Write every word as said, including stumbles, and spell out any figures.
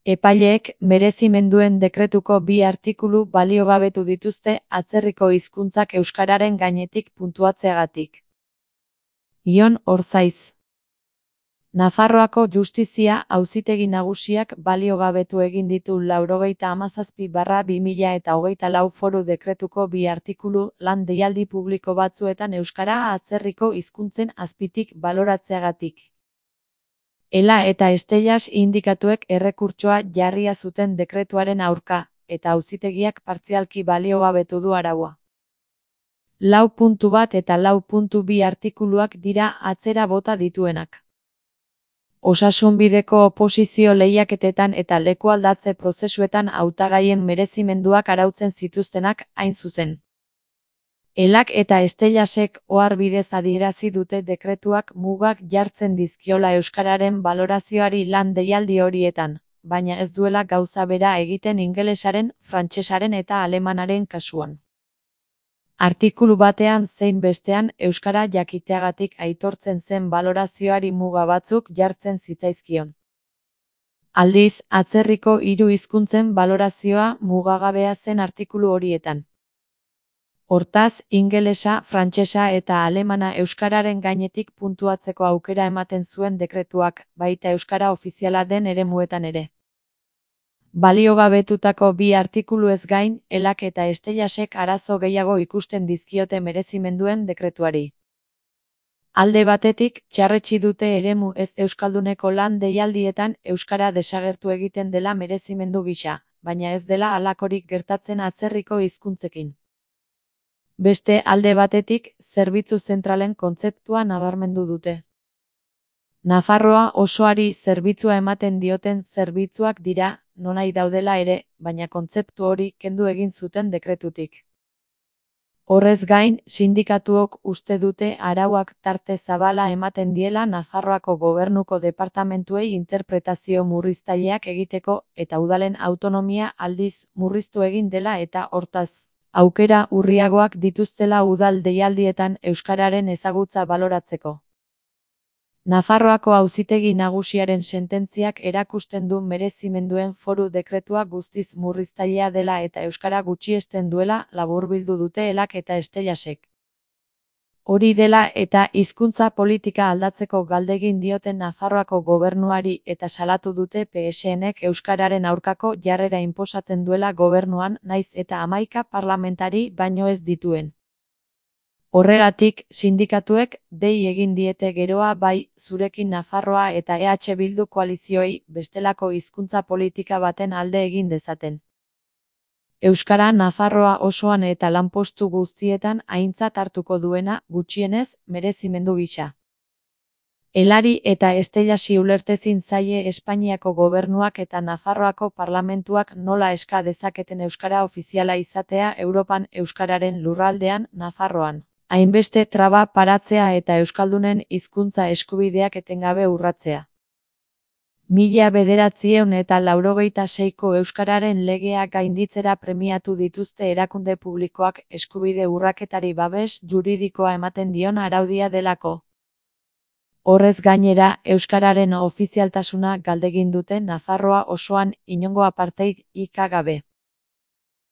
Epaileek merezimenduen dekretuko bi artikulu baliogabetu dituzte atzerriko hizkuntzak euskararen gainetik puntuatzeagatik. Ion Orzaiz. Nafarroako Justizia Auzitegi Nagusiak baliogabetu egin ditu laurogeita hamazazpi barra bi mila eta hogeita lau foru dekretuko bi artikulu lan deialdi publiko batzuetan euskara atzerriko hizkuntzen azpitik baloratzeagatik. Ela eta Estellas indikatuek errekurtsoa jarria zuten dekretuaren aurka, eta auzitegiak partzialki baliogabetu du araua. lau puntu bat eta lau puntu bi artikuluak dira atzera bota dituenak. Osasunbideko oposizio lehiaketetan eta lekualdatze prozesuetan hautagaien merezimenduak arautzen zituztenak hain zuzen. Elak eta Estellasek ohar bidez adierazi dute dekretuak mugak jartzen dizkiola euskararen balorazioari lan deialdi horietan, baina ez duela gauza bera egiten ingelesaren, frantsesaren eta alemanaren kasuan. Artikulu batean zein bestean euskara jakiteagatik aitortzen zen balorazioari muga batzuk jartzen zitzaizkion. Aldiz, atzerriko hiru hizkuntzen balorazioa mugagabea zen artikulu horietan. Hortaz, ingelesa, frantsesa eta alemana euskararen gainetik puntuatzeko aukera ematen zuen dekretuak, baita euskara ofiziala den eremuetan ere. Baliogabetutako bi artikuluez gain, Elak eta Estellasek arazo gehiago ikusten dizkiote merezimenduen dekretuari. Alde batetik, txarretsi dute eremu ez euskalduneko lan deialdietan euskara desagertu egiten dela merezimendu gisa, baina ez dela halakorik gertatzen atzerriko hizkuntzekin. Beste alde batetik, zerbitzu zentralen kontzeptua nabarmendu dute. Nafarroa osoari zerbitzua ematen dioten zerbitzuak dira, nonahi daudela ere, baina kontzeptu hori kendu egin zuten dekretutik. Horrez gain, sindikatuok uste dute arauak tarte zabala ematen diela Nafarroako gobernuko departamentuei interpretazio murriztaileak egiteko eta udalen autonomia aldiz murriztu egin dela eta hortaz, aukera urriagoak dituztela udal deialdietan euskararen ezagutza baloratzeko. Nafarroako Auzitegi Nagusiaren sententziak erakusten du merezimenduen foru dekretua guztiz murriztailea dela eta euskara gutxiesten duela laburbildu dute Elak eta Estellasek. Hori dela eta hizkuntza politika aldatzeko galdegin dioten Nafarroako gobernuari eta salatu dute P S Nek euskararen aurkako jarrera inposatzen duela gobernuan naiz eta hamaika parlamentari baino ez dituen. Horregatik, sindikatuek dei egin diete geroa bai zurekin Nafarroa eta E H Bildu koalizioei bestelako hizkuntza politika baten alde egin dezaten. Euskara Nafarroa osoan eta lanpostu guztietan aintzat hartuko duena, gutxienez, merezimendu gisa. Elari eta Estellasi ulertezin zaie Espainiako gobernuak eta Nafarroako parlamentuak nola eska dezaketen euskara ofiziala izatea Europan euskararen lurraldean, Nafarroan. Hainbeste traba paratzea eta euskaldunen hizkuntza eskubideak etengabe urratzea. Mila bederatziehun eta laurogeita seiko euskararen legea gainditzera premiatu dituzte erakunde publikoak eskubide urraketari babes juridikoa ematen dion araudia delako. Horrez gainera, euskararen ofizialtasuna galdegin dute Nafarroa osoan inongo apartheid ik gabe.